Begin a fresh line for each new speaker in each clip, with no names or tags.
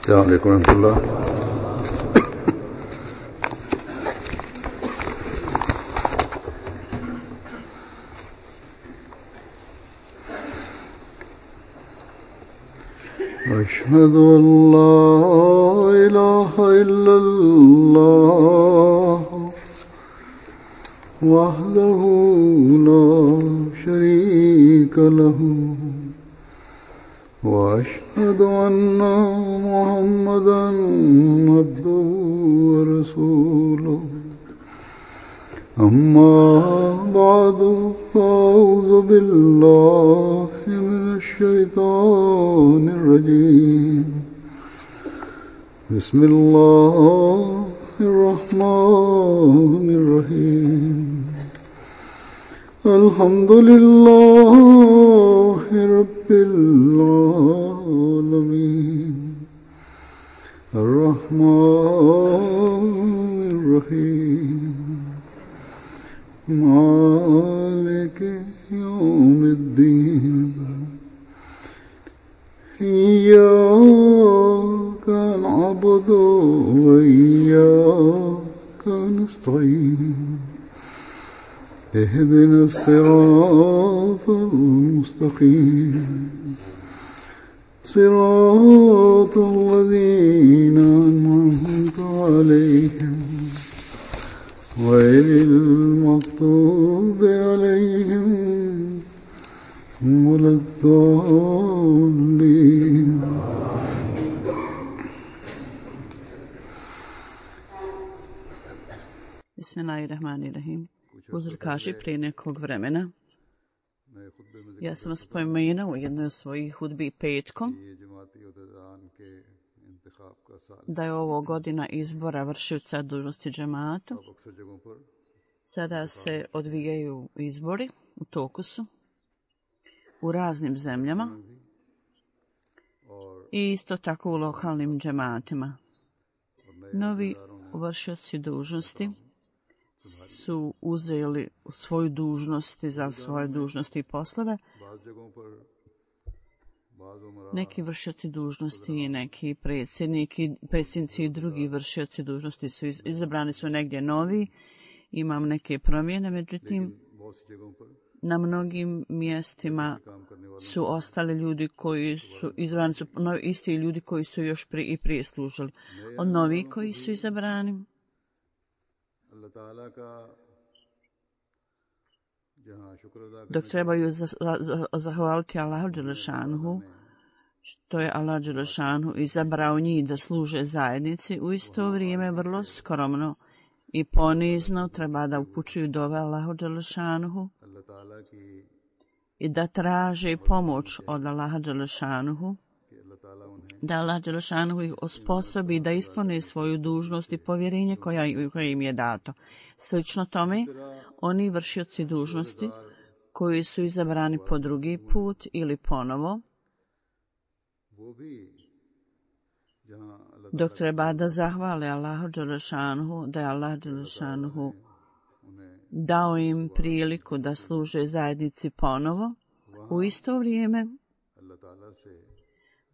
السلام عليكم ورحمة الله. أشهد أن لا إله إلا الله وحده لا شريك له وأشهد أن محمدًا عبده ورسوله أما بعد فأعوذ بالله من الشيطان الرجيم بسم الله الرحمن الرحيم الحمد لله رب العالمين الرحمن الرحيم مالك يوم الدين إياك نعبد وإياك نستعين اهدنا الصراط المستقيم صراط الذين أنعمت عليهم غير المغضوب عليهم ولا الضالين.
Bismillahirrahmanirrahim. Uzr kaže prije nekog vremena, ja sam spomenuo u jednoj od svojih hudbi petkom da je ovo godina izbora vršioca dužnosti džematu. Sada se odvijaju izbori, u toku su, u raznim zemljama i isto tako u lokalnim džematima. Novi vršioci dužnosti su uzeli svoju dužnosti za svoje dužnosti i poslove. Neki vršioci dužnosti i neki predsjednici i drugi vršioci dužnosti su izabrani su negdje novi. Imam neke promjene, međutim, na mnogim mjestima su ostali ljudi koji su izabrani, su isti ljudi koji su još prije služili. Od novih koji su izabrani, dok trebaju zahvaliti Allahu dželešanuhu, što je Allah dželešanuhu izabrao njih da služe zajednici, u isto vrijeme vrlo skromno i ponizno treba da upućuju dove Allahu dželešanuhu i da traže pomoć od Allaha dželešanuhu, da Allah dželešanuhu ih osposobi da ispune svoju dužnost i povjerenje koje im je dato. Slično tome, oni vršioci dužnosti koji su izabrani po drugi put ili ponovo, dok treba da zahvale Allahu dželešanuhu, da je Allah dželešanuhu dao im priliku da služe zajednici ponovo, u isto vrijeme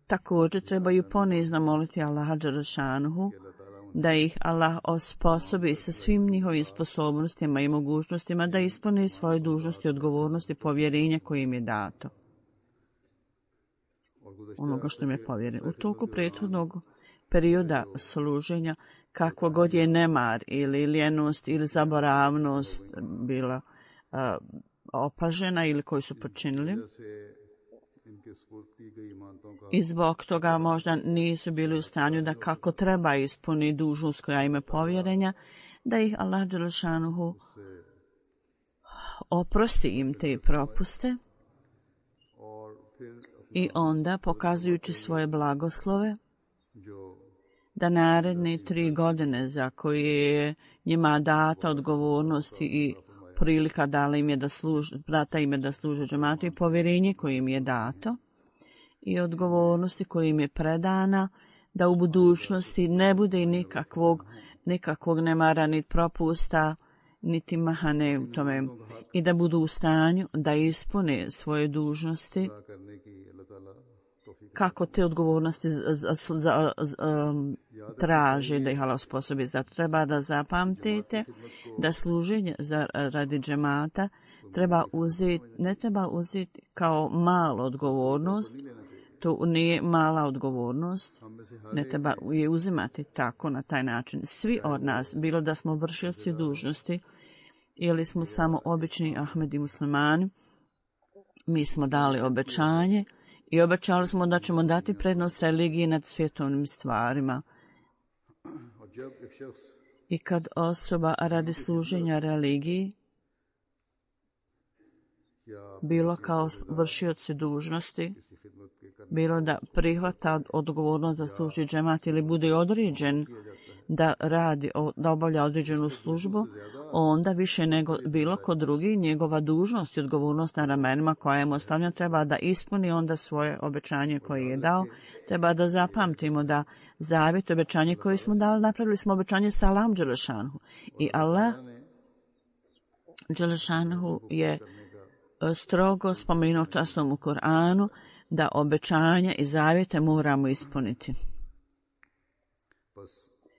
također trebaju ponizno moliti Allaha dželešanuhu da ih Allah osposobi sa svim njihovim sposobnostima i mogućnostima da ispune svoje dužnosti, odgovornosti, povjerenja koje im je dato. Onoga što im je povjereno. U toku prethodnog perioda služenja, kakvo god je nemar ili ljenost ili zaboravnost bila opažena ili koji su počinili, i zbog toga možda nisu bili u stanju da kako treba ispuni dužnost koja ima povjerenja, da ih Allah dželešanuhu oprosti im te propuste i onda, pokazujući svoje blagoslove, da naredne 3 godine za koje je njima data odgovornosti i prilika data im je da služe džematu i povjerenje koje im je dato i odgovornosti koje im je predana, da u budućnosti ne bude nikakvog nemara ni propusta niti mahane u tome i da budu u stanju da ispune svoje dužnosti kako te odgovornosti traži da ih Allah osposobi. Zato treba da zapamtite da služenje radi džemata ne treba uzeti kao malu odgovornost. To nije mala odgovornost, ne treba je uzimati tako na taj način. Svi od nas, bilo da smo vršioci dužnosti ili smo samo obični Ahmedi muslimani, mi smo dali obećanje i obećali smo da ćemo dati prednost religiji nad svjetovnim stvarima. I kad osoba radi služenja religiji, bilo kao vršioci dužnosti, bilo da prihvata odgovornost za služi džemat ili bude određen da obavlja određenu službu, onda više nego bilo ko drugi njegova dužnost i odgovornost na ramenima koja je mu ostavljena treba da ispuni onda svoje obećanje koje je dao. Treba da zapamtimo da zavjet obećanje koje smo dali, napravili smo obećanje sa Allahom Đelešanhu. I Allah Đelešanhu je strogo spomenuo častom u Koranu da obećanja i zavjete moramo ispuniti.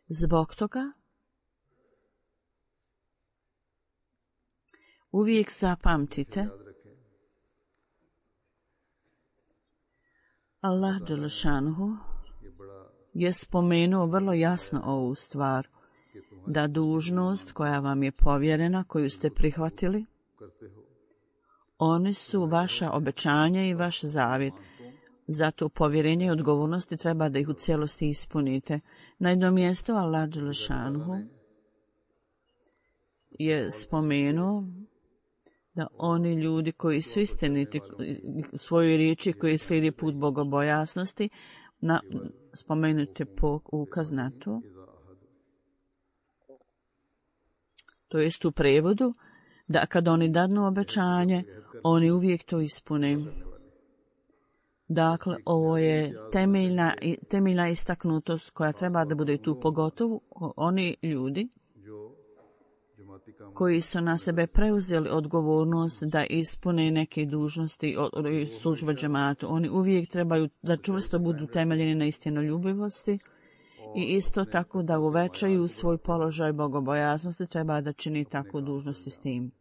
Zbog toga uvijek zapamtite Allah Đelešanuhu je spomenuo vrlo jasno ovu stvar, da dužnost koja vam je povjerena, koju ste prihvatili, oni su vaša obećanja i vaš zavjet. Zato povjerenje i odgovornosti treba da ih u cijelosti ispunite. Na jednom mjestu Allah Đelešanuhu je spomenuo da oni ljudi koji su istiniti u svojoj riječi, koji slijedi put bogobojasnosti, spomenute ukaz na to. To jest u prevodu da kad oni dadnu obećanje, oni uvijek to ispune. Dakle, ovo je temeljna istaknutost koja treba da bude tu, pogotovo oni ljudi koji su na sebe preuzeli odgovornost da ispune neke dužnosti službe džematu. Oni uvijek trebaju da čvrsto budu temeljeni na istinoljubivosti i isto tako da uvećaju svoj položaj bogobojaznosti, treba da čini takvu dužnosti s tim,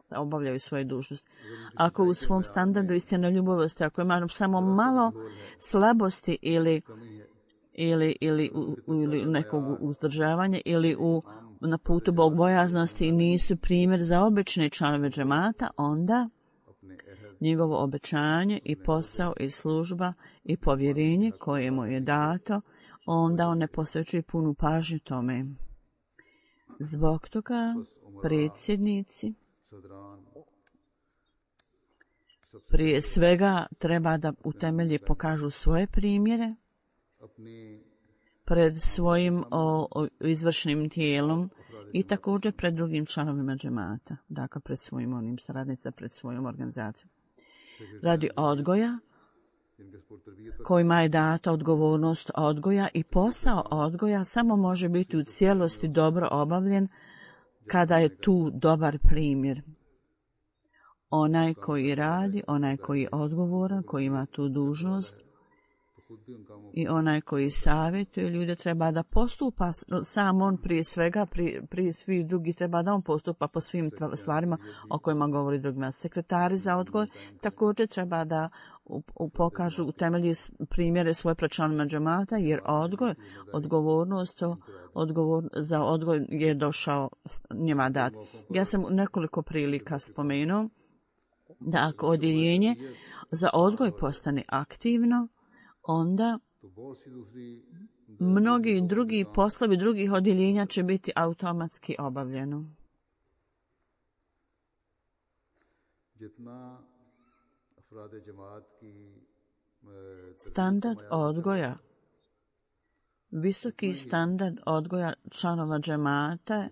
da obavljaju svoje dužnosti. Ako u svom standardu istinoljubivosti, ako ima samo malo slabosti ili nekog uzdržavanja ili na putu bogobojaznosti nisu primjer za obične članove džemata, onda njegovo obećanje i posao i služba i povjerenje koje mu je dato, onda on ne posvećuje punu pažnju tome. Zbog toga predsjednici prije svega treba da u temelji pokažu svoje primjere pred svojim izvršnim tijelom i također pred drugim članovima džemata, dakle pred svojim onim saradnicama, pred svojom organizacijom. Radi odgoja kojima je data odgovornost odgoja i posao odgoja samo može biti u cijelosti dobro obavljen kada je tu dobar primjer. Onaj koji radi, onaj koji je odgovoran, koji ima tu dužnost i onaj koji savjetuje ljude treba da postupa, sam on prije svega, prije svih drugih treba da on postupa po svim stvarima o kojima govori drugima. Sekretari za odgoj također treba da pokažu u temelji primjere svoje pred članovima džemata, jer odgovornost za odgoj je došao njima dat. Ja sam nekoliko prilika spomenuo da ako odjeljenje za odgoj postane aktivno, onda mnogi drugi poslovi drugih odjeljenja će biti automatski obavljeno. Standard odgoja, visoki standard odgoja članova džemata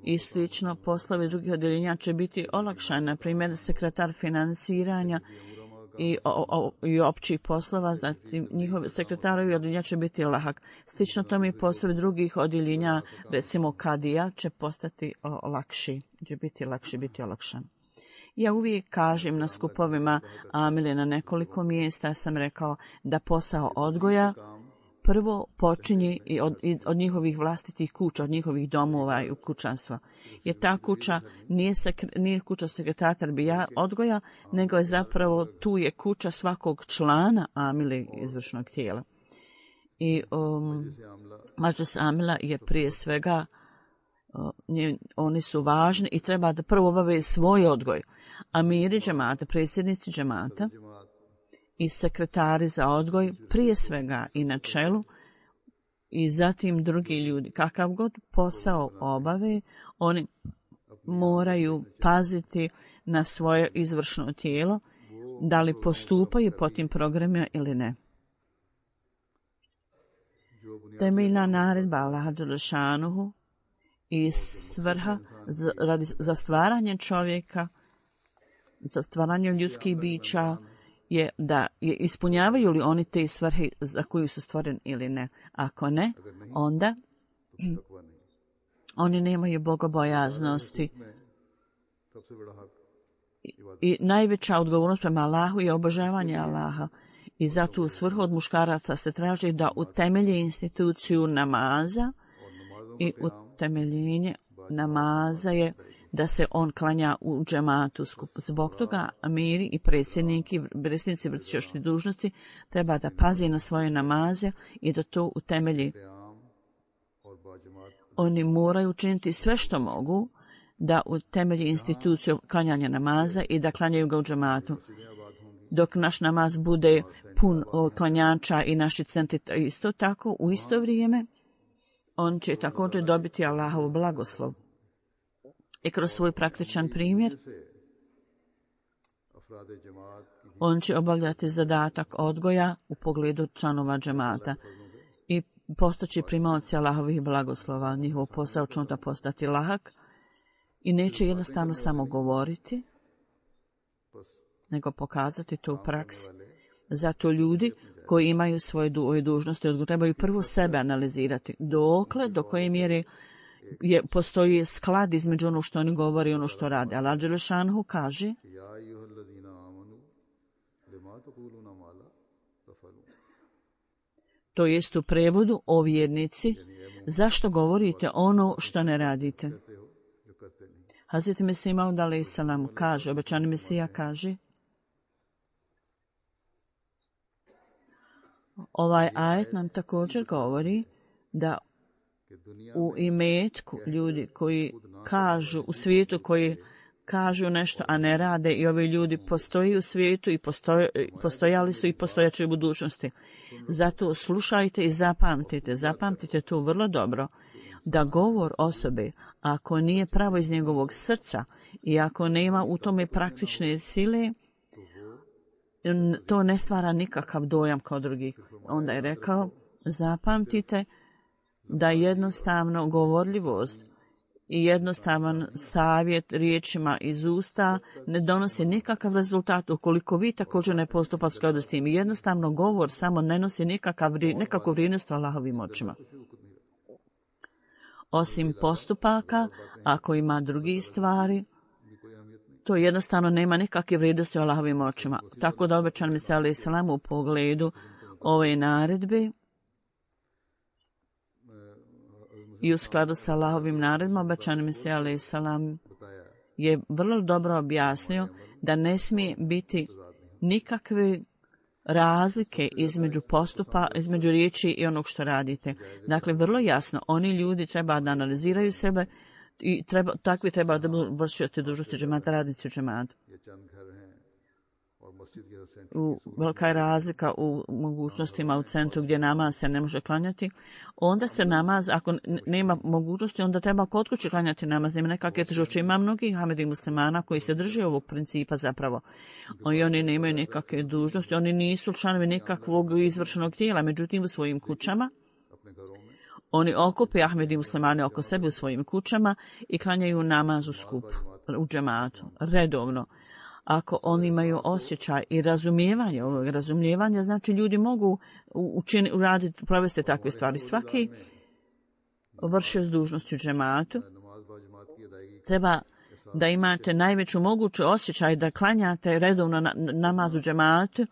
i slično poslovi drugih odjeljenja će biti olakšani. Na primjer, sekretar financiranja i općih poslova, zatim njihovi sekretarovi odjeljenja će biti lahak. Slično tome i poslovi drugih odjeljenja, recimo kadija, će postati lakši, će biti lakši, biti olakšan. Ja uvijek kažem na skupovima Amile na nekoliko mjesta sam rekao da posao odgoja prvo počinje i od njihovih vlastitih kuća, od njihovih domova i kućanstva. Jer ta kuća nije kuća sekretara bija odgoja, nego je zapravo tu je kuća svakog člana Amile izvršnog tijela. I Mađlis Amila je prije svega oni su važni i treba da prvo obave svoj odgoj. Amiri džemata, predsjednici džemata i sekretari za odgoj prije svega i na čelu i zatim drugi ljudi. Kakav god posao obave, oni moraju paziti na svoje izvršno tijelo, da li postupaju po tim programima ili ne. Temeljna naredba Allaha dželešanuhu i svrha za stvaranje čovjeka, za stvaranje ljudskih bića je da ispunjavaju li oni te svrhe za koju su stvoreni ili ne. Ako ne, onda oni nemaju bogobojaznosti. I najveća odgovornost prema Allahu je obožavanje Allaha. I zato u svrhu od muškaraca se traži da utemelje instituciju namaza i utemeljenje namaza je da se on klanja u džematu skupu. Zbog toga amiri i predsjednici vršioci dužnosti treba da pazi na svoje namaze i da to utemelji. Oni moraju učiniti sve što mogu da utemelji instituciju klanjanja namaza i da klanjaju ga u džematu. Dok naš namaz bude pun klanjača i naši centri isto tako, u isto vrijeme, on će također dobiti Allahov blagoslov. I kroz svoj praktičan primjer, on će obavljati zadatak odgoja u pogledu članova džemata i postaći primaoci Allahovih blagoslova. Njihov posao će onda postati lahak i neće jednostavno samo govoriti, nego pokazati to u praksi. Zato ljudi koji imaju svoje dužnosti trebaju prvo sebe analizirati. Do koje mjere postoji sklad između ono što oni govore i ono što rade. Allah dželešanhu kaže to jest u prevodu o vjernici, zašto govorite ono što ne radite? Hazreti Mesih Maud alejhi selam kaže, obećani Mesija kaže, ovaj ajet nam također govori da u imetku ljudi koji kažu u svijetu, koji kažu nešto, a ne rade, i ovi ljudi postoji u svijetu i postojali su i postojaće u budućnosti. Zato slušajte i zapamtite to vrlo dobro, da govor osobe, ako nije pravo iz njegovog srca i ako nema u tome praktične sile, to ne stvara nikakav dojam kao drugih. Onda je rekao, zapamtite da jednostavno govorljivost i jednostavan savjet riječima iz usta ne donosi nikakav rezultat ukoliko vi također ne postupate u skladu s tim. Jednostavno govor samo ne nosi nekakvu vrijednost u Allahovim očima. Osim postupaka, ako ima drugih stvari, to jednostavno nema nikakve vrijednosti u Allahovim očima. Tako da obećan Mesija alejhi selam u pogledu ove naredbe i u skladu sa Allahovim naredbama, obećan Mesija alejhi selam je vrlo dobro objasnio da ne smije biti nikakve razlike između riječi i onog što radite. Dakle, vrlo jasno, oni ljudi treba da analiziraju sebe i takvi treba da budu vršioci dužnosti džemata, radnici u džematu. Velika je razlika u mogućnostima u centru gdje namaz se ne može klanjati. Onda se namaz, ako nema mogućnosti, onda treba kod kuće klanjati namaz. Nema nekakve teškoće. Ima mnogih Ahmedi muslimana koji se drže ovog principa zapravo. I oni nemaju nekakve dužnosti, oni nisu članovi nekakvog izvršenog tijela, međutim u svojim kućama oni okupe Ahmedi muslimane oko sebe u svojim kućama i klanjaju namaz u skupu, u džematu, redovno. Ako oni imaju osjećaj i razumijevanje, znači ljudi mogu provesti takve stvari. Svaki vršioc dužnosti u džematu treba da imate najveću moguću osjećaj da klanjate redovno namaz u džematu,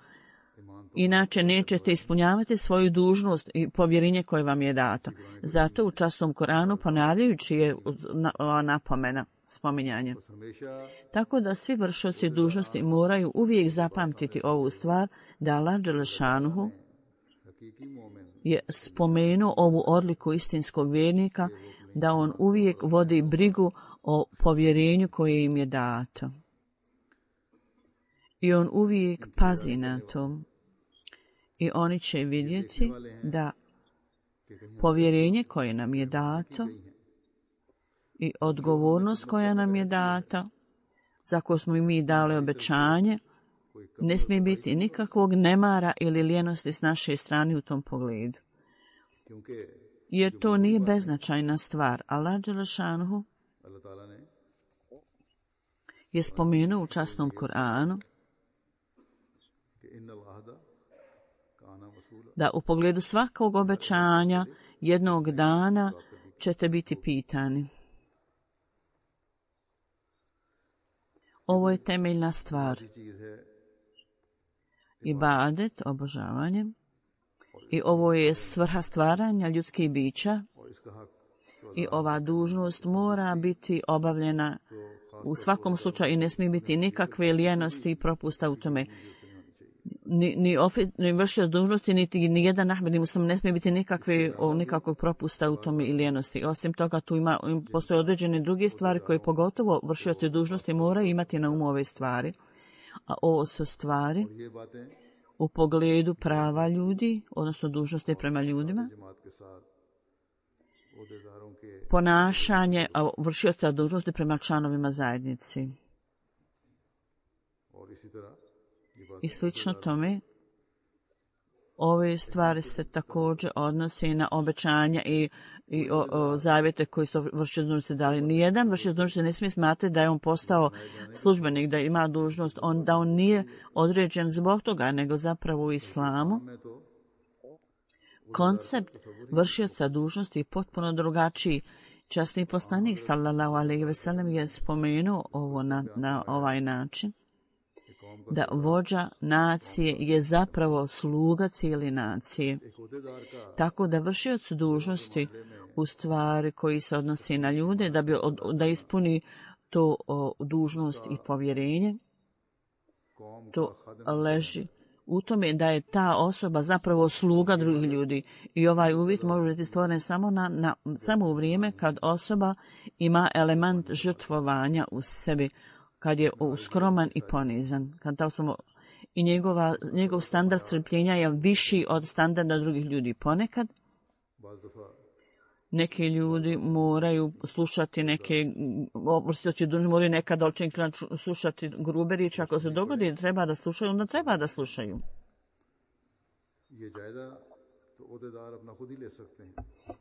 inače nećete ispunjavati svoju dužnost i povjerenje koje vam je dato. Zato u časnom Koranu ponavljajući je napomena, spominjanje. Tako da svi vršioci dužnosti moraju uvijek zapamtiti ovu stvar, da Allah dželešanuhu je spomenuo ovu odliku istinskog vjernika, da on uvijek vodi brigu o povjerenju koje im je dato. I on uvijek pazi na to. I oni će vidjeti da povjerenje koje nam je dato i odgovornost koja nam je data, za koju smo mi dali obećanje, ne smije biti nikakvog nemara ili lijenosti s naše strane u tom pogledu. Jer to nije beznačajna stvar. Allah dželešanuhu je spomenuo u časnom Kur'anu da u pogledu svakog obećanja jednog dana ćete biti pitani. Ovo je temeljna stvar. Ibadet, obožavanje, i ovo je svrha stvaranja ljudskih bića i ova dužnost mora biti obavljena u svakom slučaju i ne smije biti nikakve lijenosti i propusta u tome. Ni vršioc dužnosti, ni jedan ahmed muslim ne smije biti nikakvog propusta u tome i lijenosti. Osim toga, tu postoje određene druge stvari koje pogotovo vršioci dužnosti moraju imati na umu ove stvari. A ovo su stvari u pogledu prava ljudi, odnosno dužnosti prema ljudima, ponašanje vršioca dužnosti prema članovima zajednici. I slično tome, ove stvari se također odnose na obećanja i zavjete koji su vršioci dužnosti dali. Nijedan vršioc dužnosti ne smije smatrati da je on postao službenik, da ima dužnost, da on nije određen zbog toga, nego zapravo u islamu. Koncept vršioca dužnosti je potpuno drugačiji. Časni poslanik sallallahu alejhi ve sellem je spomenuo ovo na ovaj način, da vođa nacije je zapravo sluga cijele nacije. Tako da vršioc dužnosti u stvari koji se odnosi na ljude, da ispuni to dužnost i povjerenje, to leži u tome da je ta osoba zapravo sluga drugih ljudi. I ovaj uvjet može biti stvoren samo u vrijeme kad osoba ima element žrtvovanja u sebi, kad je skroman i ponizan. I njegov standard strpljenja je viši od standarda drugih ljudi. Ponekad neki ljudi moraju slušati moraju nekada slušati grube riječi. Ako se dogodi da treba da slušaju, onda treba da slušaju.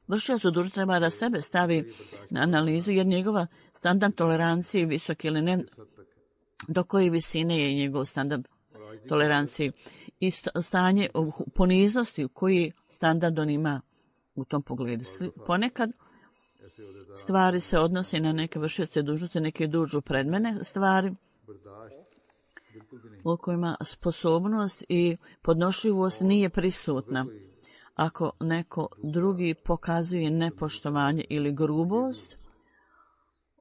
Vršioc dužnosti treba da sebe stavi na analizu, jer njegova standard tolerancije je visok ili ne, do koje visine je njegov standard tolerancije i stanje poniznosti u koji standard on ima u tom pogledu. Ponekad stvari se odnose na neke vršioce dužnosti, neke dođu pred mene stvari u kojima sposobnost i podnošljivost nije prisutna. Ako neko drugi pokazuje nepoštovanje ili grubost,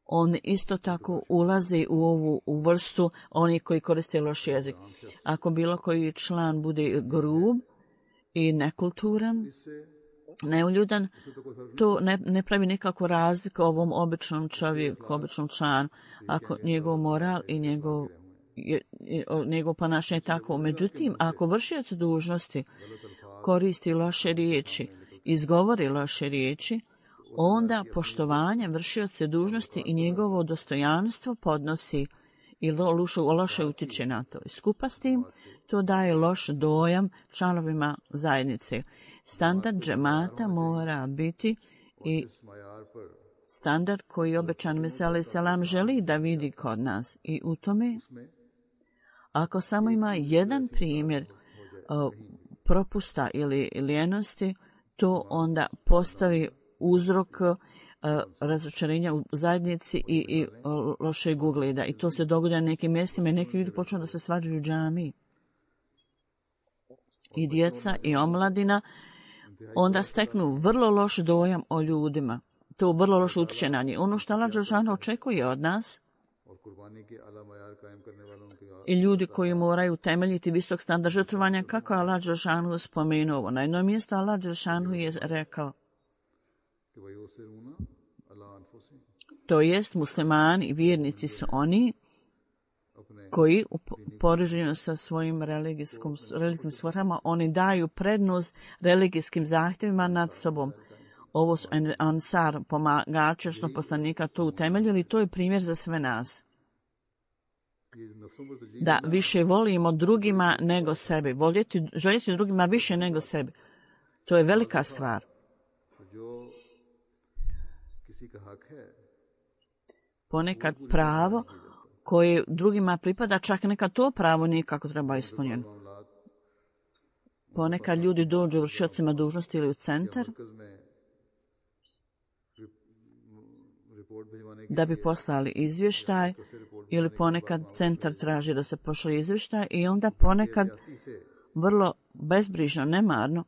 on isto tako ulazi u ovu vrstu oni koji koriste loš jezik. Ako bilo koji član bude grub i nekulturan, neuljudan, to ne pravi nikakvu razliku ovom običnom čovjeku, običnom članu. Ako njegov moral i njegov ponašanje je tako. Međutim, ako vršioc dužnosti koristi loše riječi, izgovori loše riječi, onda poštovanje vršioce dužnosti i njegovo dostojanstvo podnosi i loše utiče na to. Skupa s tim, to daje loš dojam članovima zajednice. Standard džemata mora biti i standard koji obećan Mesija alejhi selam želi da vidi kod nas. I u tome, ako samo ima jedan primjer propusta ili lijenosti, to onda postavi uzrok razočarenja u zajednici i lošeg ugleda. I to se događa na nekim mjestima i neki ljudi počnu da se svađaju u džamiji. I djeca i omladina onda steknu vrlo loš dojam o ljudima. To vrlo loše utječe na njih. Ono što Allah dželešanu očekuje od nas i ljudi koji moraju temeljiti visok standard žrtvovanja, kako je Allah dželešanu spomenuo. Na jednom mjestu Allah dželešanu je rekao, to jest muslimani i vjernici su oni koji u poređenju sa svojim religijskim svrhama, oni daju prednost religijskim zahtjevima nad sobom. Ovo su Ansar, pomagači, što poslanika to utemeljili, to je primjer za sve nas. Da više volimo drugima nego sebi. Željeti drugima više nego sebi. To je velika stvar. Ponekad pravo koje drugima pripada, čak nekad to pravo nije kako treba ispunjeno. Ponekad ljudi dođu vršiocima dužnosti ili u centar da bi poslali izvještaj, ili ponekad centar traži da se pošle izvještaj i onda ponekad vrlo bezbrižno, nemarno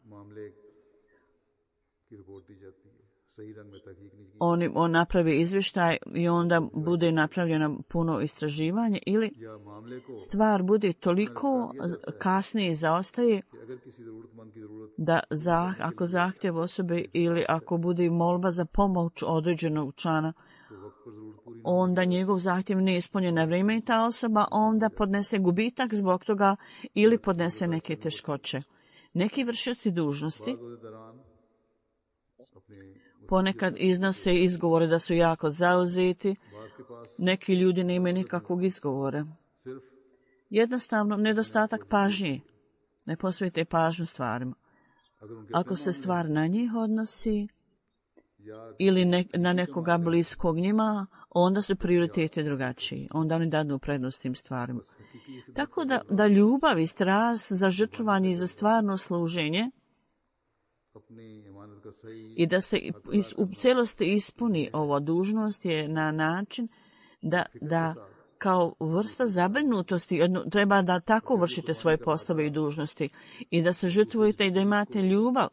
on napravi izvještaj i onda bude napravljeno puno istraživanje ili stvar bude toliko kasnije zaostaje da ako zahtjev osobe ili ako bude molba za pomoć određenog člana, onda njegov zahtjev ne ispunjen na vrijeme i ta osoba onda podnese gubitak zbog toga ili podnese neke teškoće. Neki vršioci dužnosti ponekad iznose izgovore da su jako zauzeti, neki ljudi ne imaju nikakvog izgovora. Jednostavno, nedostatak pažnje. Ne posvete pažnju stvarima. Ako se stvar na njih odnosi ili na nekoga bliskog njima, onda su prioriteti drugačiji. Onda oni dadnu prednost tim stvarima. Tako da ljubav i strast za žrtvovanje i za stvarno služenje i da se u cijelosti ispuni ova dužnost je na način da kao vrsta zabrinutosti treba da tako vršite svoje poslove i dužnosti i da se žrtvujete i da imate ljubav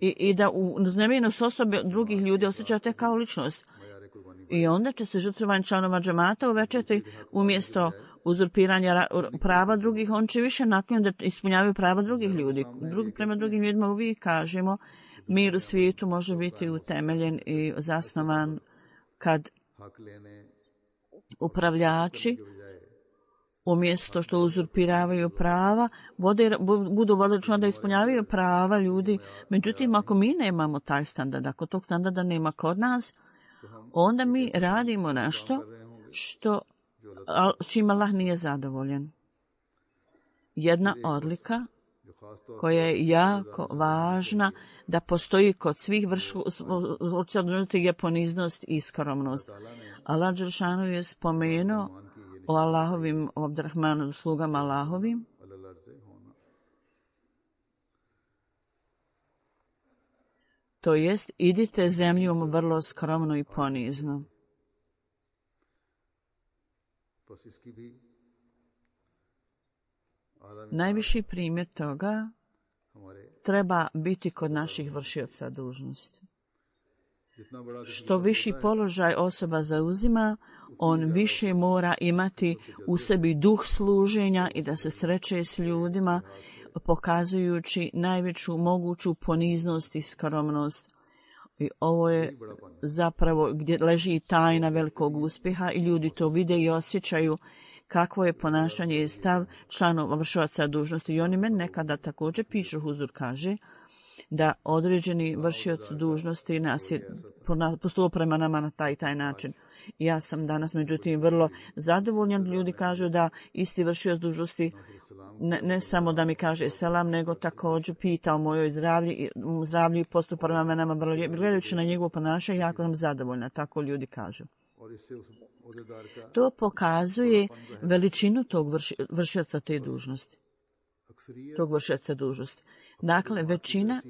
i da uznemirenost osobe drugih ljudi osjećate kao ličnost. I onda će se žrtvovanje članova džemata uvećati umjesto uzurpiranja prava drugih, on će više naklonjen da ispunjavaju prava drugih ljudi. Prema drugim ljudima uvijek kažemo, mir u svijetu može biti utemeljen i zasnovan kad upravljači umjesto što uzurpiravaju prava, budu vodilično da ispunjavaju prava ljudi. Međutim, ako mi nemamo taj standard, ako tog standarda nema kod nas, onda mi radimo nešto čim Allah nije zadovoljen. Jedna odlika koja je jako važna da postoji kod svih vršioca je poniznost i skromnost. Allah dželešanu je spomenuo o Allahovim, o Abdurrahmanu, slugama Allahovim. To jest, idite zemljom vrlo skromno i ponizno. Najviši primjer toga treba biti kod naših vršioca dužnosti. Što viši položaj osoba zauzima, on više mora imati u sebi duh služenja i da se sreće s ljudima, pokazujući najveću moguću poniznost i skromnost. I ovo je zapravo gdje leži tajna velikog uspjeha i ljudi to vide i osjećaju kakvo je ponašanje i stav članova vršioca dužnosti. I oni meni nekada također pišu, Huzur kaže, da određeni vršioc dužnosti nas je postupio prema nama na taj način. Ja sam danas, međutim, vrlo zadovoljan. Ljudi kažu da isti vršioc dužnosti ne samo da mi kaže selam, nego također pita o mojoj zdravlju i postupa prema nama. Gledajući na njegovo ponašanje, jako sam zadovoljna. Tako ljudi kažu. To pokazuje veličinu tog vršioca te dužnosti. Tog vršioca dužnosti. Dakle, većina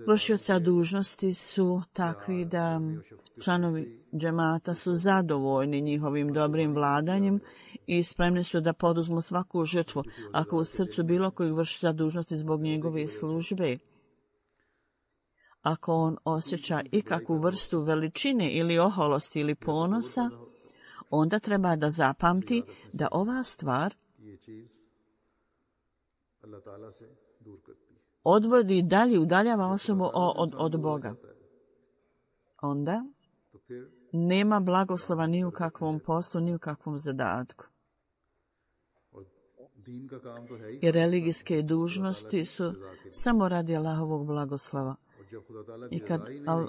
vršioca dužnosti su takvi da članovi džemata su zadovoljni njihovim dobrim vladanjem i spremni su da poduzmu svaku žrtvu ako u srcu bilo kojeg vršioca dužnosti zbog njegove službe. Ako on osjeća ikakvu vrstu veličine ili oholosti ili ponosa, onda treba da zapamti da ova stvar odvodi dalje, udaljava osobu od Boga. Onda nema blagoslova ni u kakvom poslu, ni u kakvom zadatku. I religijske dužnosti su samo radi Allahovog blagoslova. I kad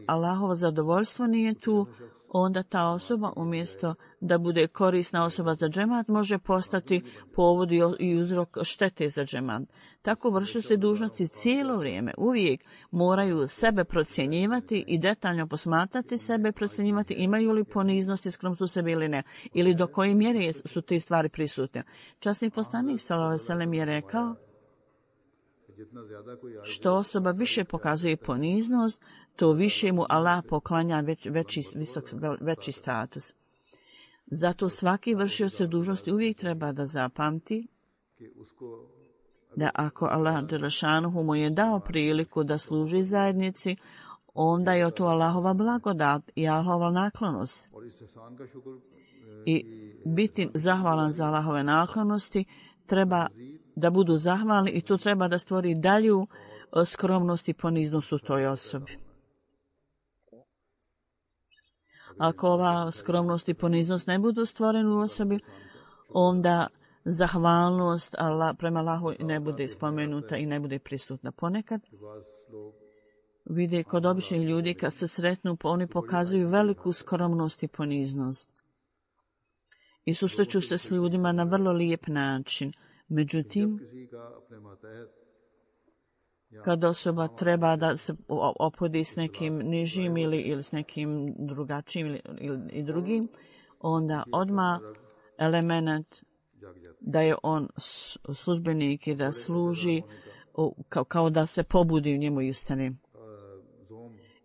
Allahovo zadovoljstvo nije tu, onda ta osoba umjesto da bude korisna osoba za džemat može postati povod i uzrok štete za džemat. Tako vršioci dužnosti cijelo vrijeme uvijek moraju sebe procjenjivati i detaljno posmatrati sebe, procjenjivati imaju li poniznosti, skromnost u sebi ili ne, ili do koje mjere su te stvari prisutne. Časni poslanik sallallahu alejhi ve sellem je rekao: što osoba više pokazuje poniznost, to više mu Allah poklanja veći status. Zato svaki vršioc dužnosti uvijek treba da zapamti da ako Allah dželešanuhu mu je dao priliku da služi zajednici, onda je to Allahova blagodat i Allahova naklonost. I biti zahvalan za Allahove naklonosti treba da budu zahvalni i to treba da stvori dalju skromnost i poniznost u toj osobi. Ako ova skromnost i poniznost ne budu stvoreni u osobi, onda zahvalnost prema Allahu ne bude spomenuta i ne bude prisutna. Ponekad vide kod običnih ljudi kad se sretnu, oni pokazuju veliku skromnost i poniznost. I susreću se s ljudima na vrlo lijep način. Međutim, kad osoba treba da se opodi s nekim nižim ili s nekim drugačijim ili drugim, onda odmah element da je on službenik i da služi kao da se pobudi u njemu i ustane.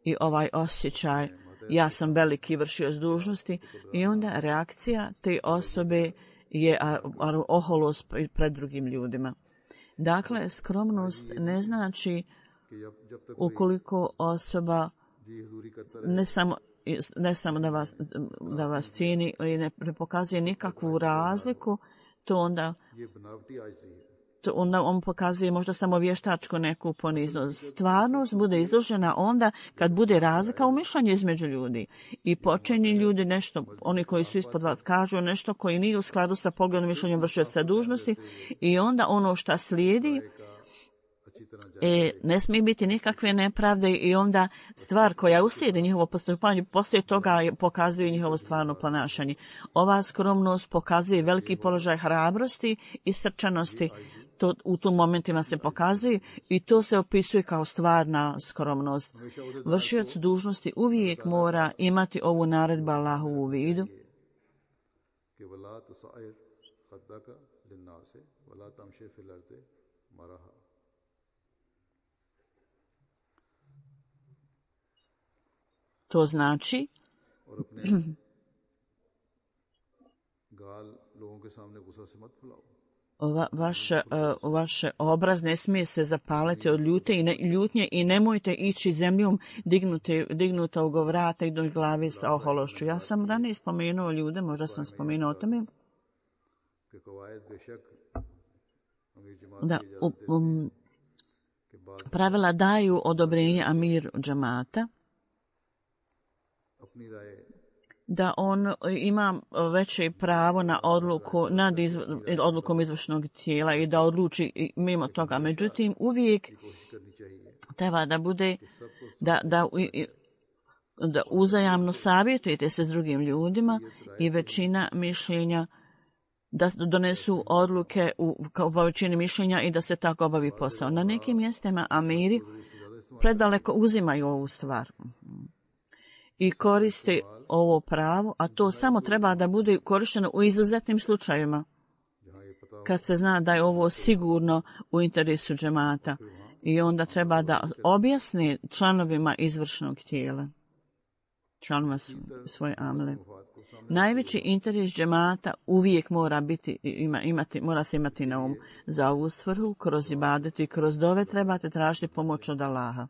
I ovaj osjećaj, ja sam veliki vršioc dužnosti, i onda reakcija te osobe je oholost pred drugim ljudima. Dakle, skromnost ne znači ukoliko osoba ne samo da vas cijeni i ne pokazuje nikakvu razliku, to onda on pokazuje možda samo vještačko neku poniznost. Stvarnost bude izložena onda kad bude razlika u mišljenju između ljudi. I počinje ljudi nešto, oni koji su ispod vas kažu nešto koji nije u skladu sa pogledom mišljenjem vršioca dužnosti, i onda ono što slijedi ne smije biti nikakve nepravde, i onda stvar koja uslijedi njihovo postupanje poslije toga pokazuje njihovo stvarno ponašanje. Ova skromnost pokazuje veliki položaj hrabrosti i srčanosti. To u tom momentima se pokazuje i to se opisuje kao stvarna skromnost. Vršioc dužnosti uvijek mora imati ovu naredbu Allahu u vidu. To znači vaš obraz ne smije se zapaliti od ljutnje i nemojte ići zemljom dignuta u vrata i do glavi sa ohološću. Ja sam ranije spomenuo ljude, možda sam spomenuo o tome, da pravila daju odobrenje amiru džemata, da on ima veće pravo na odluku nad odlukom izvršnog tijela i da odluči mimo toga. Međutim, uvijek treba da bude da uzajamno savjetujete se s drugim ljudima i većina mišljenja da donesu odluke kao većini mišljenja i da se tako obavi posao. Na nekim mjestima amiri predaleko uzimaju ovu stvar i koriste ovo pravo, a to samo treba da bude korišteno u izuzetnim slučajevima, kad se zna da je ovo sigurno u interesu džemata I onda treba da objasni članovima izvršnog tijela, članova svoje amele. Najveći interes džemata uvijek mora se imati na umu. Za ovu svrhu, kroz ibadet i kroz dove trebate tražiti pomoć od Allaha.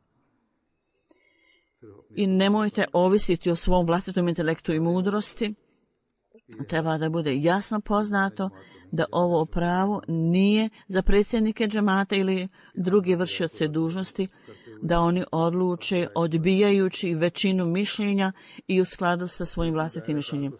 I nemojte ovisiti o svom vlastitom intelektu i mudrosti. Treba da bude jasno poznato da ovo pravo nije za predsjednike džemata ili drugi vršioce dužnosti, da oni odluče odbijajući većinu mišljenja i u skladu sa svojim vlastitim mišljenjem.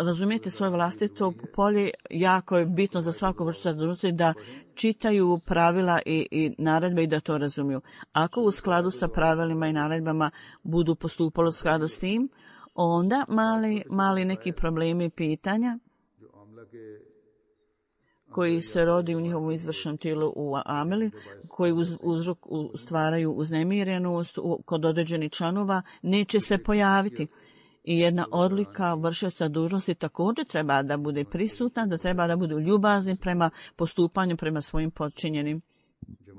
Razumijete svoje vlastito polje, jako je bitno za svako vršioca dužnosti da čitaju pravila i naredbe i da to razumiju. Ako u skladu sa pravilima i naredbama budu postupali u skladu s tim, onda mali neki problemi i pitanja koji se rodi u njihovom izvršnom tijelu u ameli, koji stvaraju uznemirenost kod određenih članova, neće se pojaviti. I jedna odlika vršioca dužnosti također treba da bude prisutna, da treba da budu ljubazni prema postupanju prema svojim podčinjenim.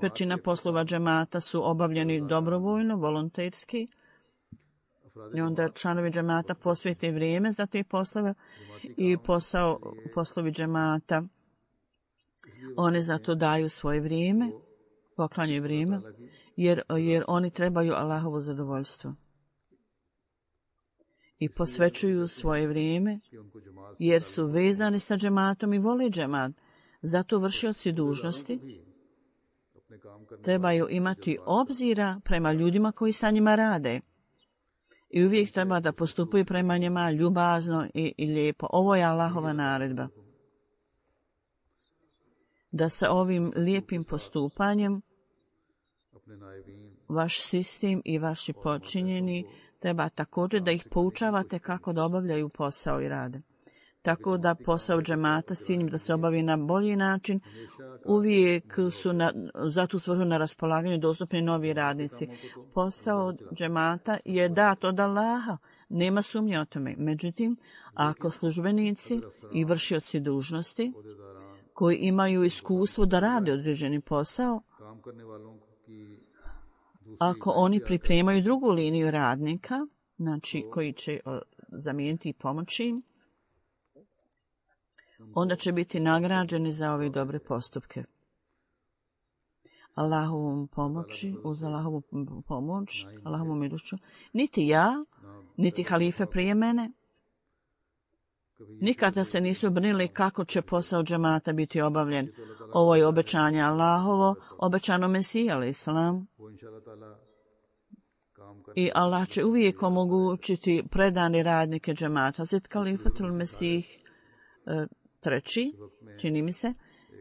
Većina poslova džemata su obavljeni dobrovoljno, volonterski. I onda članovi džemata posvete vrijeme za te poslove i poslovi džemata. Oni za to daju svoje vrijeme, poklanjaju vrijeme, jer oni trebaju Allahovo zadovoljstvo. I posvećuju svoje vrijeme, jer su vezani sa džematom i vole džemat. Zato vršioci dužnosti trebaju imati obzira prema ljudima koji sa njima rade. I uvijek treba da postupaju prema njima ljubazno i lijepo. Ovo je Allahova naredba. Da sa ovim lijepim postupanjem vaš sistem i vaši podčinjeni treba također da ih poučavate kako da obavljaju posao i rade. Tako da posao džemata s ciljem da se obavi na bolji način, uvijek su za tu svrhu na raspolaganju dostupni novi radnici. Posao džemata je dat od Allaha, nema sumnje o tome. Međutim, ako službenici i vršioci dužnosti koji imaju iskustvo da rade određeni posao, ako oni pripremaju drugu liniju radnika, znači koji će zamijeniti i pomoći im, onda će biti nagrađeni za ove dobre postupke. Allahovom pomoći, uz Allahovu pomoć, Allahovom milošću, niti ja, niti halife prije mene, nikada se nisu brinuli kako će posao džemata biti obavljen. Ovo je obećanje Allahovo, obećano Mesiji, alaih salam. I Allah će uvijek omogućiti predani radnike džemata. Hazret Kalifatul Mesih treći, čini mi se,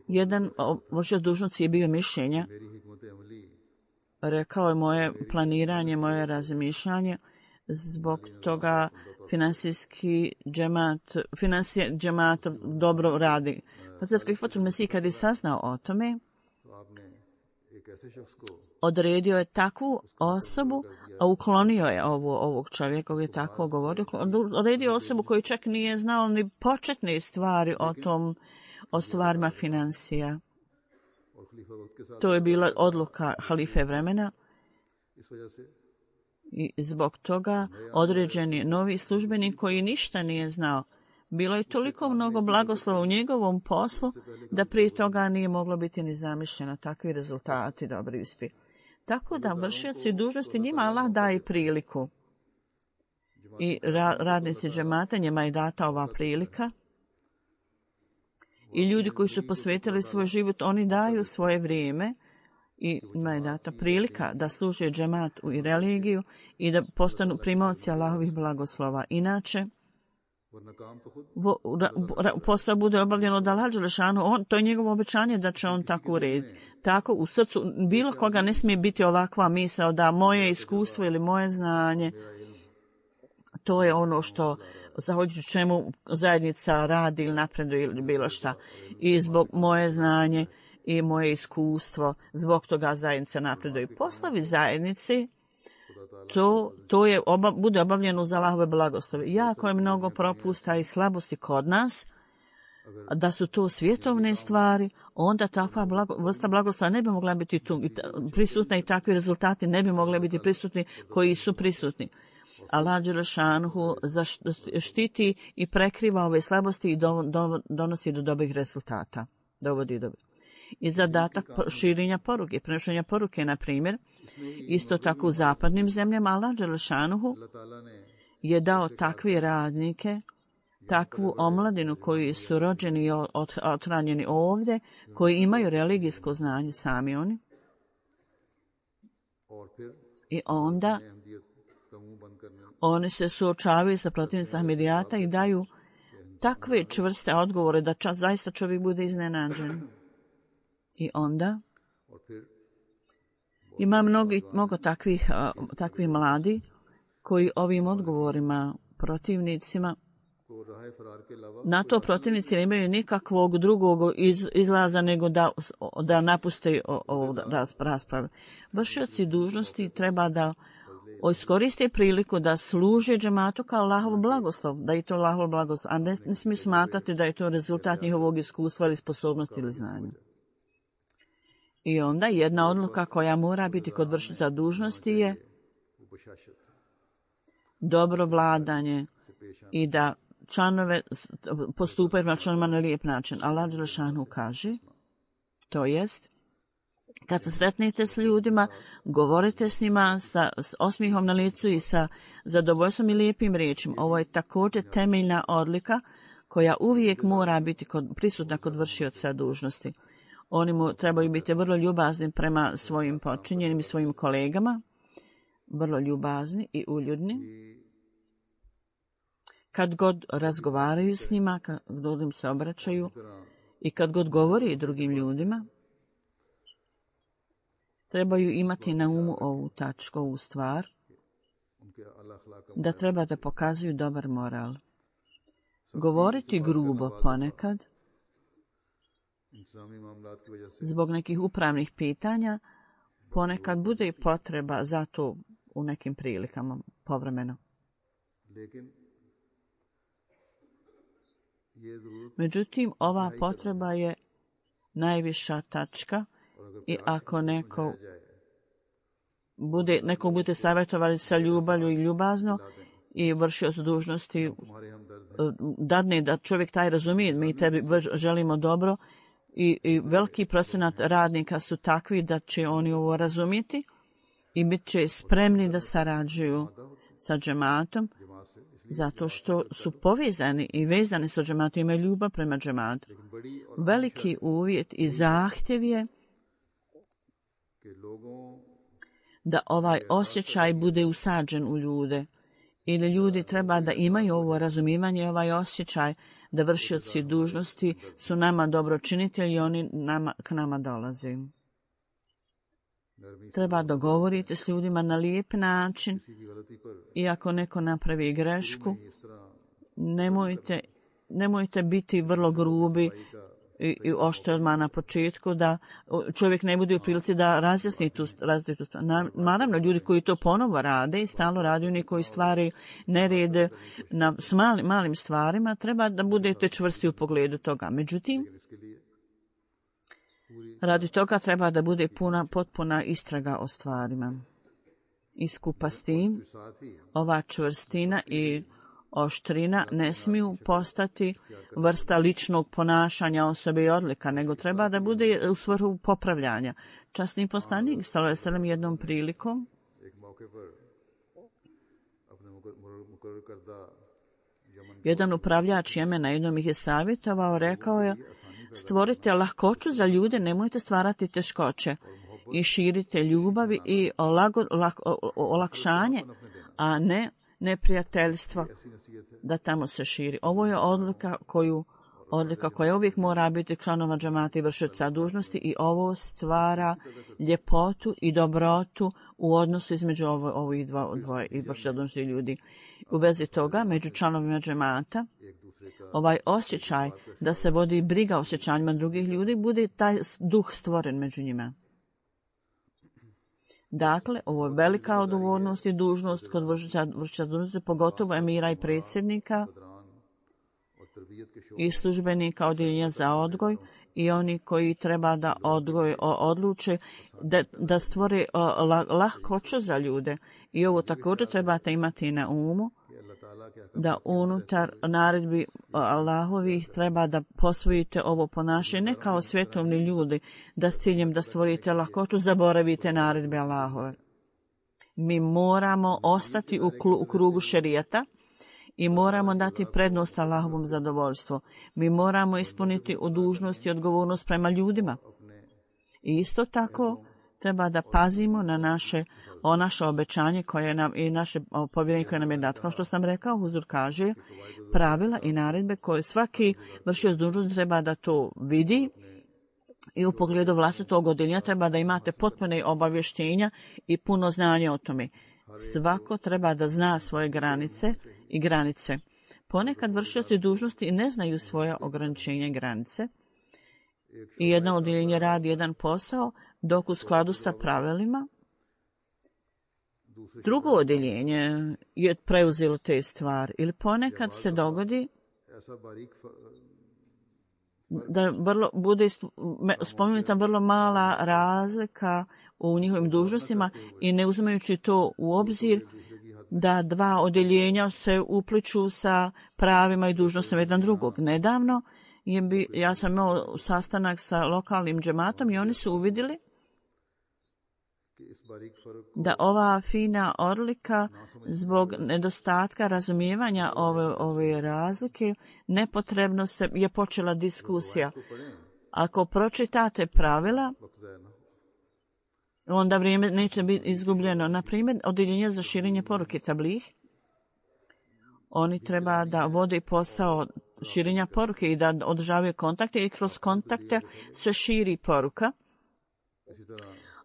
jedan vršioc dužnosti je bio mišljenja. Rekao je moje planiranje, moje razmišljanje, zbog toga financija džemata dobro radi. Hazret Kalifatul Mesih kad je saznao o tome, odredio je takvu osobu, a uklonio je ovog čovjeka koji je tako govorio. Odredio osobu koji čak nije znao ni početne stvari o stvarima financija. To je bila odluka halife vremena. I zbog toga određeni novi službenik koji ništa nije znao. Bilo je toliko mnogo blagoslova u njegovom poslu da prije toga nije moglo biti ni zamišljeno takvi rezultati dobri uspjeh. Tako da vršioci dužnosti njima Allah daje priliku. I radnici džemata njima je data ova prilika. I ljudi koji su posvetili svoj život, oni daju svoje vrijeme i njima je data prilika da služe džemat i religiju i da postanu primaoci Allahovih blagoslova. Inače, posao bude obavljeno od Allaha dželešanu, to je njegovo obećanje da će on tako urediti. Tako u srcu bilo koga ne smije biti ovakva misao da moje iskustvo ili moje znanje, to je ono što zahvaljujući čemu zajednica radi ili napreduje ili bilo šta. I zbog moje znanje i moje iskustvo, zbog toga zajednica napreduje. Poslovi zajednice, to je bude obavljeno uz Allahove blagoslove. Jako je mnogo propusta i slabosti kod nas da su to svjetovne stvari, onda takva vrsta blagoslova ne bi mogla biti tu prisutna i takvi rezultati ne bi mogli biti prisutni koji su prisutni. Allah dželešanuhu štiti i prekriva ove slabosti i donosi do dobrih rezultata. Dovodi do. I zadatak širenja poruke, prenošenja poruke, na primjer, isto tako u zapadnim zemljama, Allah dželešanuhu je dao takve radnike, takvu omladinu koji su rođeni i othranjeni ovdje, koji imaju religijsko znanje sami oni. I onda oni se suočavaju sa protivnicima Ahmedijata i daju takve čvrste odgovore da zaista čovjek bude iznenađen. I onda ima mnogo takvih mladi koji ovim odgovorima protivnicima, na to protivnici ne imaju nikakvog drugog izlaza nego da napuste ovu raspravu. Vršioci dužnosti treba da iskoriste priliku da služe džematu kao Allahov blagoslov, da je to Allahov blagoslov, a ne smiju smatrati da je to rezultat njihovog iskustva ili sposobnosti ili znanja. I onda jedna odluka koja mora biti kod vršioca dužnosti je dobro vladanje i da članove postupaju na članima na lijep način. Allah dželešanu kaže, to jest, kad se sretnete s ljudima, govorite s njima s osmihom na licu i sa zadovoljstvom i lijepim riječima. Ovo je također temeljna odlika koja uvijek mora biti prisutna kod vršioca dužnosti. Oni mu trebaju biti vrlo ljubazni prema svojim podčinjenim i svojim kolegama, vrlo ljubazni i uljudni. Kad god razgovaraju s njima, kad god im se obraćaju i kad god govori drugim ljudima, trebaju imati na umu ovu tačku, ovu stvar, da treba da pokazuju dobar moral. Govoriti grubo ponekad, zbog nekih upravnih pitanja, ponekad bude i potreba za to u nekim prilikama, povremeno. Međutim, ova potreba je najviša tačka i ako neko bude savjetovali sa ljubavlju i ljubazno i vršio s dužnosti, dadne da čovjek taj razumije, mi tebi želimo dobro i veliki procenat radnika su takvi da će oni ovo razumjeti i bit će spremni da sarađuju sa džematom, zato što su povezani i vezani sa džematom, imaju ljubav prema džematu. Veliki uvjet i zahtjev je da ovaj osjećaj bude usađen u ljude. Ili ljudi treba da imaju ovo razumijevanje, ovaj osjećaj da vršioci dužnosti su nama dobročinitelji i oni k nama dolaze. Treba dogovoriti s ljudima na lijep način i ako neko napravi grešku, nemojte biti vrlo grubi i oštri odmah na početku, da čovjek ne bude u prilici da razjasni tu stvar. Naravno, ljudi koji to ponovo rade i stalno rade, oni koji stvari nered s malim stvarima, treba da budete čvrsti u pogledu toga. Međutim, radi toga treba da bude potpuna istraga o stvarima. I skupa s tim, ova čvrstina i oštrina ne smiju postati vrsta ličnog ponašanja osobe i odlika, nego treba da bude u svrhu popravljanja. Časni poslanik sallallahu alejhi ve sellem jednom prilikom jedan upravljač Jemena jednom ih je savjetovao, rekao je: stvorite lahkoću za ljude, nemojte stvarati teškoće i širite ljubavi i olakšanje, a ne neprijateljstvo da tamo se širi. Ovo je odlika koja uvijek mora biti članova džemata i vršioca dužnosti i ovo stvara ljepotu i dobrotu u odnosu između ovih dvoje i vršioca dužnosti ljudi. U vezi toga, među članovima džemata, ovaj osjećaj da se vodi briga o osjećanjima drugih ljudi, bude taj duh stvoren među njima. Dakle, ovo je velika odgovornost i dužnost kod vršioca dužnosti, pogotovo emira i predsjednika, i službenika odjeljenja za odgoj i oni koji treba da odluče da stvore lahkoću za ljude. I ovo također trebate imati na umu, da unutar naredbi Allahovih treba da posvojite ovo ponašanje, ne kao svjetovni ljudi, da s ciljem da stvorite lahkoću zaboravite naredbe Allahove. Mi moramo ostati u krugu šerijata i moramo dati prednost Allahovom zadovoljstvu. Mi moramo ispuniti dužnost i odgovornost prema ljudima. I isto tako treba da pazimo na naše obećanje koje nam i naše povjerenje koje nam je dato. Kao što sam rekao, Huzur kaže pravila i naredbe koje svaki vršioc dužnosti treba da to vidi i u pogledu vlastitog odjeljenja treba da imate potpune obavještenja i puno znanja o tome. Svako treba da zna svoje granice i granice. Ponekad vršioci dužnosti ne znaju svoje ograničenja i granice i jedno odjeljenje radi jedan posao dok u skladu sa pravilima drugo odjeljenje je preuzelo te stvari. Ili ponekad se dogodi da bude spomenuta vrlo mala razlika u njihovim dužnostima i ne uzimajući to u obzir da dva odjeljenja se upliču sa pravima i dužnostima jedan drugog. Nedavno ja sam imao sastanak sa lokalnim džematom i oni su uvidjeli da ova fina odlika zbog nedostatka razumijevanja ove razlike nepotrebno je počela diskusija. Ako pročitate pravila, onda vrijeme neće biti izgubljeno. Na primjer, odjeljenje za širenje poruke tablih, oni treba da vode posao širenja poruke i da održavaju kontakte i kroz kontakte se širi poruka.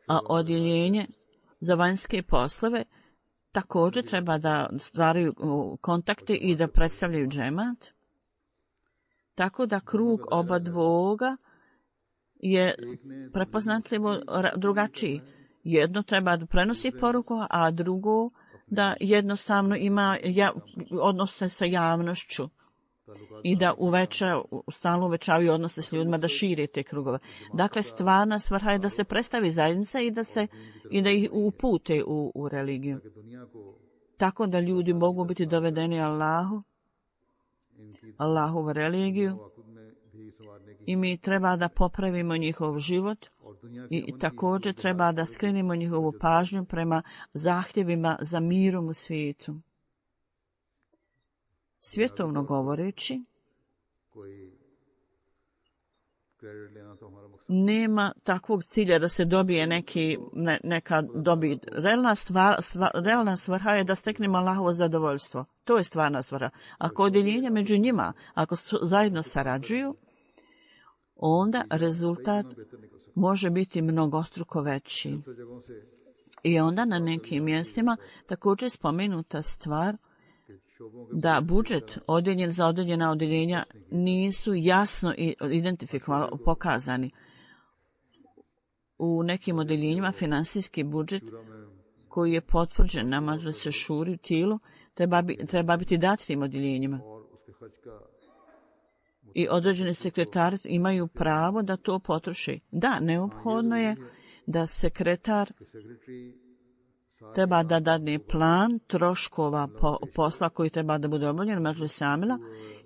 A odjeljenje za vanjske poslove također treba da stvaraju kontakte i da predstavljaju džemat. Tako da krug oba dvoga je prepoznatljivo drugačiji. Jedno treba da prenosi poruku, a drugo da jednostavno ima odnose sa javnošću i da stalno uvećavaju odnose s ljudima, da šire te krugove. Dakle, stvarna svrha je da se predstavi zajednica i da ih upute u religiju. Tako da ljudi mogu biti dovedeni Allahovu religiju i mi treba da popravimo njihov život i također treba da skrenemo njihovu pažnju prema zahtjevima za mirom u svijetu. Svjetovno govoreći, nema takvog cilja da se dobije neka dobit. Realna svrha je da steknemo Allahovo zadovoljstvo. To je stvarna svrha. Ako odjeljenja među njima, ako zajedno sarađuju, onda rezultat može biti mnogostruko veći. I onda na nekim mjestima također spomenuta stvar da budžet odjeljen za odjeljena odjeljenja nisu jasno identifikovani, pokazani. U nekim odjeljenjima finansijski budžet koji je potvrđen na Madžlisu šuri u tijelu treba biti dat tim odjeljenjima. I određeni sekretari imaju pravo da to potroši. Da, neophodno je da sekretar treba da dadne plan troškova posla koji treba da bude obavljen Madžlis Amila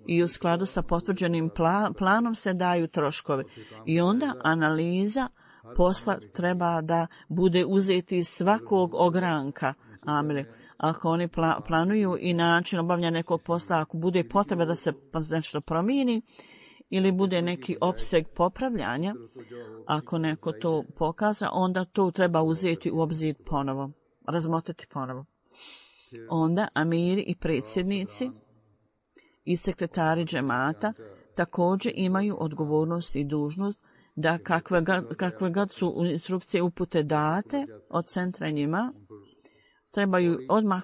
i u skladu sa potvrđenim planom se daju troškovi. I onda analiza posla treba da bude uzeti iz svakog ogranka Amile. Ako oni planuju i način obavljanja nekog posla, ako bude potreba da se nešto promijeni ili bude neki opseg popravljanja, ako neko to pokaza, onda to treba uzeti u obzir ponovo, razmotriti ponovo. Onda amiri i predsjednici i sekretari džemata također imaju odgovornost i dužnost da kakve god su instrukcije upute date od centra njima, trebaju odmah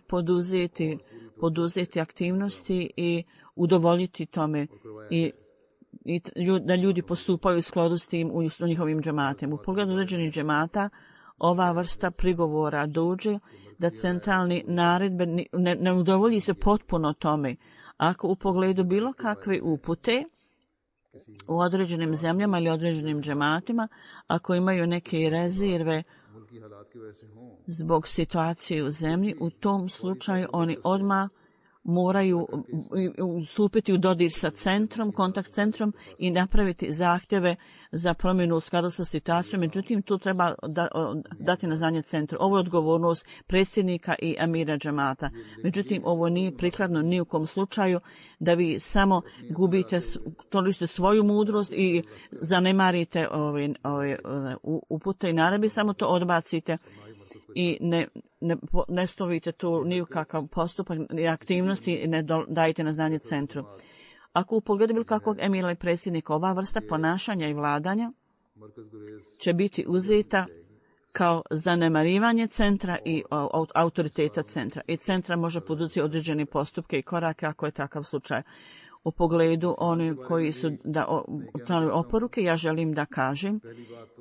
poduzeti aktivnosti i udovoljiti tome i da ljudi postupaju u skladu s tim u njihovim džematima. U pogledu određenih džemata ova vrsta prigovora dođe da centralni naredbe ne udovolji se potpuno tome. Ako u pogledu bilo kakve upute u određenim zemljama ili određenim džematima, ako imaju neke rezerve zbog situacije u zemlji, u tom slučaju oni odmah moraju stupiti u dodir sa centrom, kontakt centrom i napraviti zahtjeve za promjenu u skladu sa situacijom. Međutim, tu treba dati na znanje centru. Ovo je odgovornost predsjednika i amira džemata. Međutim, ovo nije prikladno ni u kom slučaju da vi samo gubite svoju mudrost i zanemarite upute i naredbe, samo to odbacite i ne stavite tu ni u kakav postupak ni aktivnosti i ne dajete na znanje centru. Ako u pogledu bilo kakvog emira i predsjednika ova vrsta ponašanja i vladanja će biti uzeta kao zanemarivanje centra i autoriteta centra. I centra može poduzeti određene postupke i korake ako je takav slučaj. U pogledu oni koji su oporuke, ja želim da kažem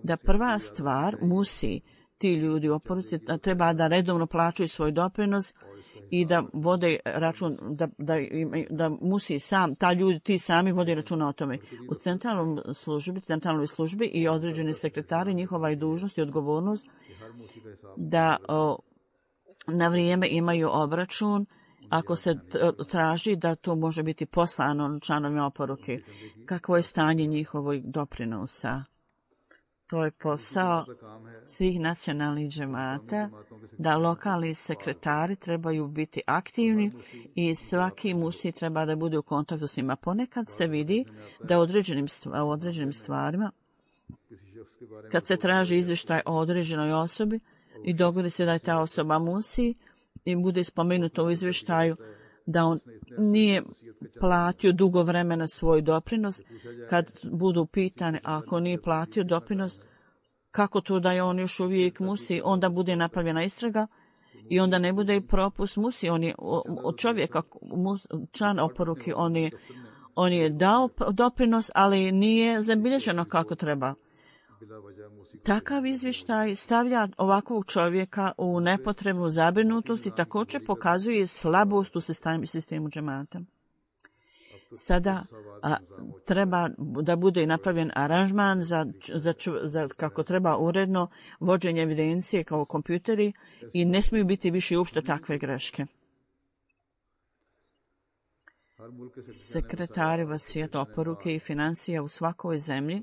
da prva stvar musi ti ljudi u oporuci treba da redovno plaćaju svoj doprinos i da vode račun, da musi sam, ti sami vode računa o tome. U centralnoj službi i određeni sekretari, njihova je dužnost i odgovornost da na vrijeme imaju obračun ako se traži da to može biti poslano članovima oporuke. Kakvo je stanje njihovog doprinosa? To je posao svih nacionalnih džemata, da lokalni sekretari trebaju biti aktivni i svaki musi treba da bude u kontaktu s njima. Ponekad se vidi da u određenim stvarima, kad se traži izvještaj o određenoj osobi i dogodi se da je ta osoba musi i bude spomenuto u izvještaju da on nije platio dugo vremena svoj doprinos, kad budu pitane ako nije platio doprinos, kako to da je on još uvijek musi, onda bude napravljena istraga i onda ne bude propust musi. On je od čovjeka, član oporuke, on je dao doprinos, ali nije zabilježeno kako treba. Takav izvještaj stavlja ovakvog čovjeka u nepotrebnu zabrinutost i također pokazuje slabost u sistemu džemata. Sada treba da bude napravljen aranžman za kako treba uredno vođenje evidencije kao kompjuteri i ne smiju biti više uopšte takve greške. Sekretari vasijeta oporuke i financija u svakoj zemlji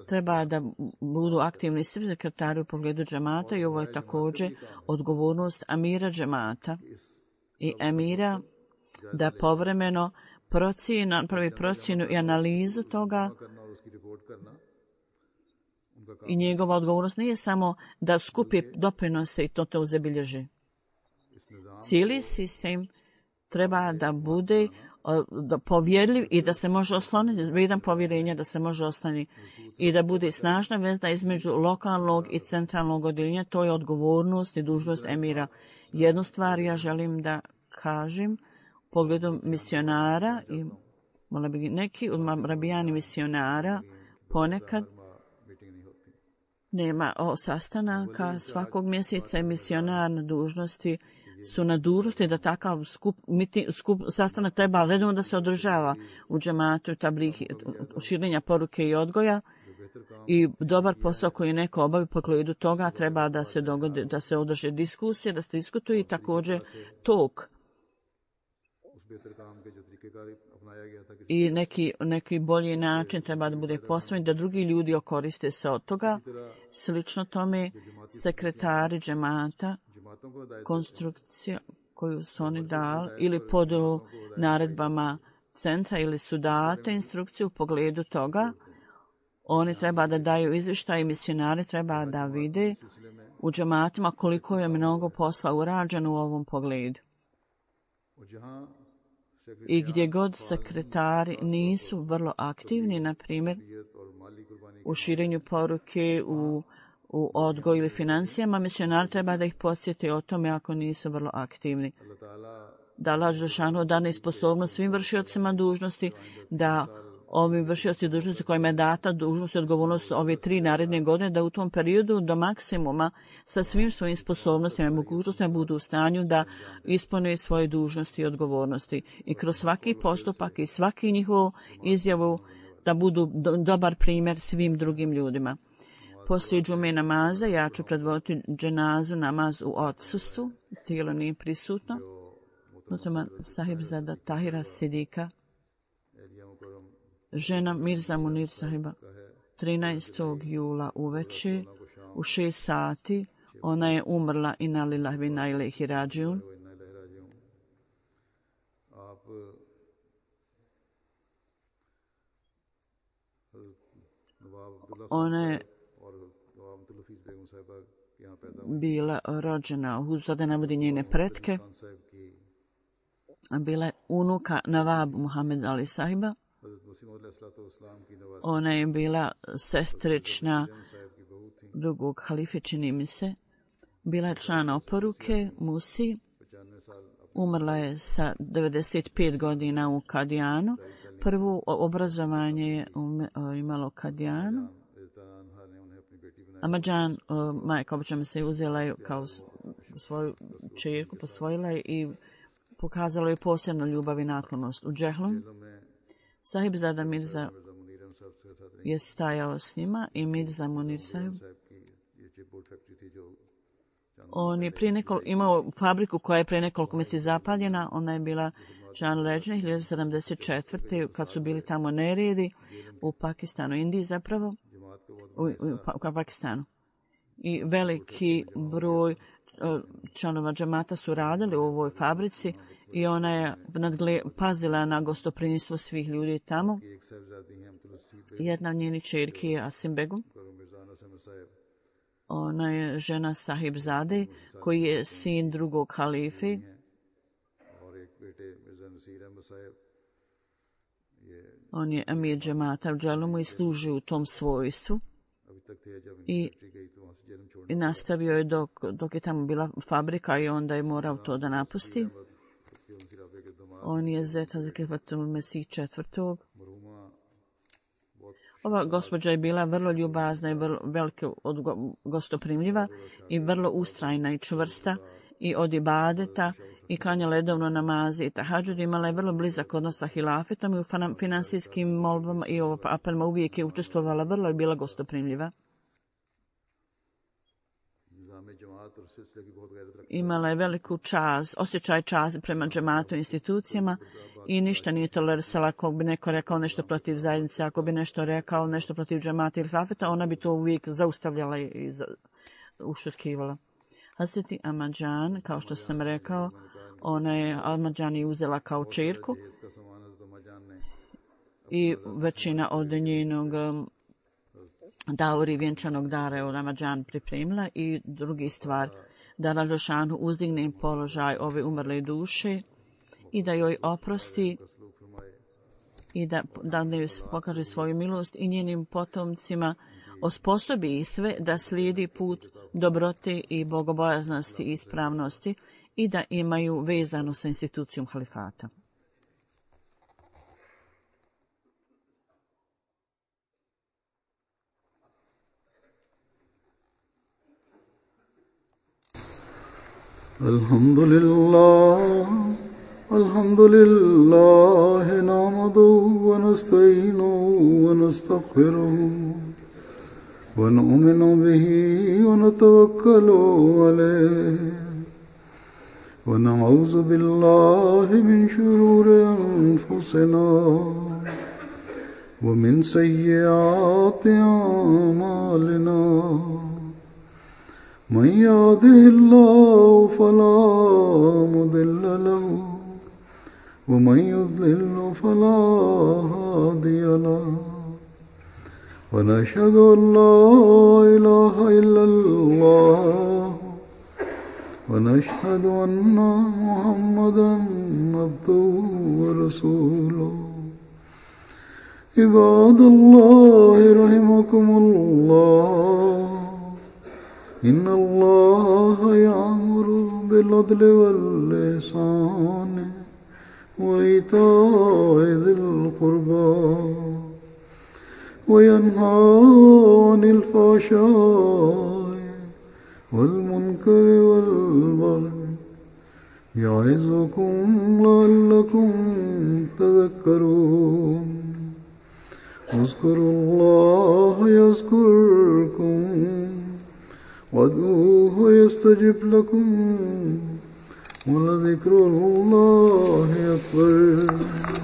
treba da budu aktivni svi sekretari u pogledu džemata i ovo je također odgovornost amira džemata i emira da povremeno pravi procjenu i analizu toga i njegova odgovornost nije samo da skupi doprinose i to zabilježi. Cijeli sistem treba da bude povjerljiv i da se može osloniti, vrijedan povjerenja da se može osloniti i da bude snažna veza između lokalnog i centralnog odjeljenja. To je odgovornost i dužnost emira. Jednu stvar ja želim da kažem u pogledu misionara i neki od rabijani misionara ponekad nema sastanaka svakog mjeseca i misionar na dužnosti su na dužnosti da takav sastanak treba redovno da se održava u džematu, širenja poruke i odgoja i dobar posao koji neko obavi po pogledu toga treba da se dogodi, da se održe diskusije, da se diskutuje i također tok i neki bolji način treba da bude posvojen, da drugi ljudi koriste se od toga. Slično tome sekretari džemata, konstrukcija koju su oni dali ili pod naredbama centra ili su date instrukcije u pogledu toga, oni treba da daju izvještaj i misionari treba da vide u džematima koliko je mnogo posla urađeno u ovom pogledu. I gdje god sekretari nisu vrlo aktivni, na primjer u širenju poruke, u odgoju ili financijama, misionari treba da ih podsjeti o tome ako nisu vrlo aktivni. Da Allah dželešanu dane sposobnost svim vršiocima dužnosti da ovi vršioci dužnosti kojima je data dužnost i odgovornost ove 3 naredne godine, da u tom periodu do maksimuma sa svim svojim sposobnostima i mogućnostima budu u stanju da ispune svoje dužnosti i odgovornosti. I kroz svaki postupak i svaki njihovu izjavu da budu dobar primjer svim drugim ljudima. Poslije džume namaza ja ću predvoditi dženazu namaz u odsustvu, tijelo nije prisutno. Nutama Sahibzada Tahira Sidika, žena Mirza Munir Sahiba, 13. jula uveče u 6 sati, ona je umrla inna lillahi wa inna ilaihi rađiun. Ona je bila rođena, Huzada navodi njene pretke, bila je unuka Nawab Muhammed Ali Sahiba. Ona je bila sestrična drugog halife, čini mi se. Bila je član oporuke Musi. Umrla je sa 95 godina u Kadijanu. Prvo obrazovanje je imalo Kadijanu. Ahmadjan, majka obično se uzela je kao svoju čerku, posvojila je i pokazala je posebnu ljubav i naklonost. U Džehlu Sahibzada Mirza je stajao s njima i Mirza Munir Sahib. On je imao fabriku koja je prije nekoliko mjeseci zapaljena. Ona je bila član leđne 1974. kad su bili tamo neredi u Pakistanu, Indiji zapravo, u Pakistanu. I veliki broj članova džamata su radili u ovoj fabrici i ona je pazila na gostoprimstvo svih ljudi tamo. Jedna od njenih čerki je Asim Begum. Ona je žena Sahibzade koji je sin drugog halife. On je amir džamata u Dželumu i služi u tom svojstvu. I nastavio je dok je tamo bila fabrika i onda je morao to da napusti. On je zet Hazreti Fatul Mesih IV. Ova gospođa je bila vrlo ljubazna i veliko gostoprimljiva i vrlo ustrajna i čvrsta i od ibadeta i klanjala redovno namaze i tahadžud. Imala je vrlo blizak odnos sa hilafetom i u finansijskim molbama i apelima uvijek je učestvovala, vrlo je bila gostoprimljiva. Imala je veliku osjećaj časti prema džematu i institucijama i ništa nije tolerisala ako bi neko rekao nešto protiv zajednice, ako bi nešto rekao nešto protiv džemata ili hilafeta, ona bi to uvijek zaustavljala i ušutkivala. Hazreti Ahmadjan, kao što sam rekao, ona je Ahmadjan i uzela kao čerku i većina od njenog dauri vjenčanog dara je od Ahmadjan pripremila i drugi stvar, da Rađošanu uzdigne položaj ove umrle duše i da joj oprosti i da joj pokaže svoju milost i njenim potomcima osposobi sve da slijedi put dobrote i bogobojaznosti i ispravnosti i da imaju vezano sa institucijom halifata.
Alhamdulillah, nahmaduhu wa nasta'inuhu wa nastaghfiruhu wa nu'minu bihi wa natawakkalu alayhi wa na'udzu billahi min shururi anfusina wa min sayyiati a'malina. من يهده الله فلا مضل له ومن يضلل فلا هادي له ونشهد أن لا إله إلا الله ونشهد أن محمدا عبده ورسوله. عباد الله رحمكم الله، إن الله يأمر بالعدل والإحسان وإيتاء ذي القربى وينهى عن الفحشاء والمنكر والبغي يعظكم لعلكم تذكرون اذكروا الله يذكركم وادعوه يستجب لكم ولذكر الله أكبر.